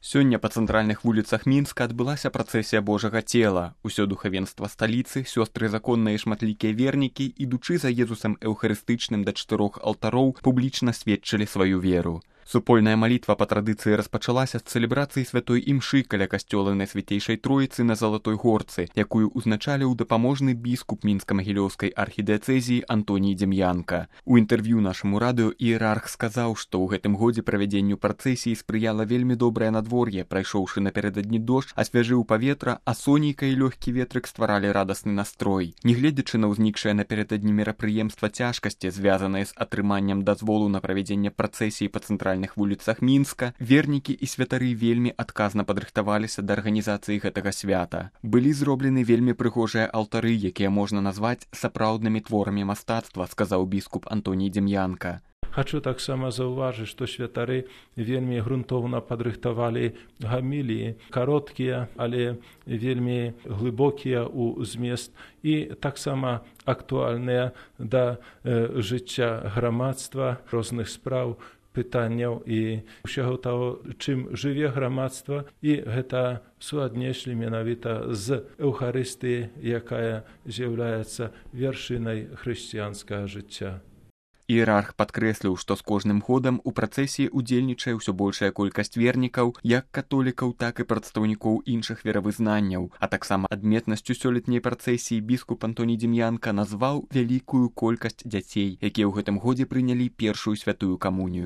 Сёння па цэнтральных вуліцах Мінска адбылася працэсія Божага цела. Усё духавенства сталіцы, сёстры законныя і шматлікія вернікі, ідучы за Езусам эўхарыстычным да 4 алтароў, публічна сведчылі сваю веру. Супольная малітва па традыцыі распачалася з цэлебрацыі святой імшы каля касцёла Найсвяцейшай Троіцы на Залатой горцы, якую узначаліў дапаможны біскуп мінска-магілёўскай архідыяцэзіі Антоній Дзем'янка. У інтэрв'ю нашаму радыё іерарх сказаў, што ў гэтым годзе правядзенню працэсіі спрыяла вельмі добрае надвор'е, прайшоўшы напярэдадні дождж, асвяжыў паветра, а сонейка і лёгкі ветрык стваралі радасны настрой. Нягледзячы на ўзнікшае напярэдадні мерапрыемства цяжкасці, звязаныя з атрыманнем дазволу на правядзенне працэсіі па цэнтральных вуліцах Мінска, вернікі і святары вельмі адказна падрыхтаваліся да арганізацыі гэтага свята. Былі зроблены вельмі прыгожыя алтары, якія можна назваць сапраўднымі творамі мастацтва, сказаў біскуп Антоній Дзем'янка. Хачу таксама заўважыць, што святары вельмі грунтоўна падрыхтавалі гаміліі, кароткія, але вельмі глыбокія ў змест і таксама актуальныя да жыцця грамадства, розных спраў, пытанняў і ўсяго таго, чым жыве грамадства, і гэта суаднеслі менавіта з Эўхарыстыі, якая з'яўляецца вяршынай хрысціянскага жыцця. Іерарх падкрэсліў, што з кожным годам у працэсіі удзельнічае ўсё большая колькасць вернікаў, як католікаў, так і прадстаўнікоў іншых веравызнанняў, а таксама адметнасцю сёлетняй працэсіі біскуп Антоній Дзем'янка назваў вялікую колькасць дзяцей, якія ў гэтым годзе прынялі першую святую камунію.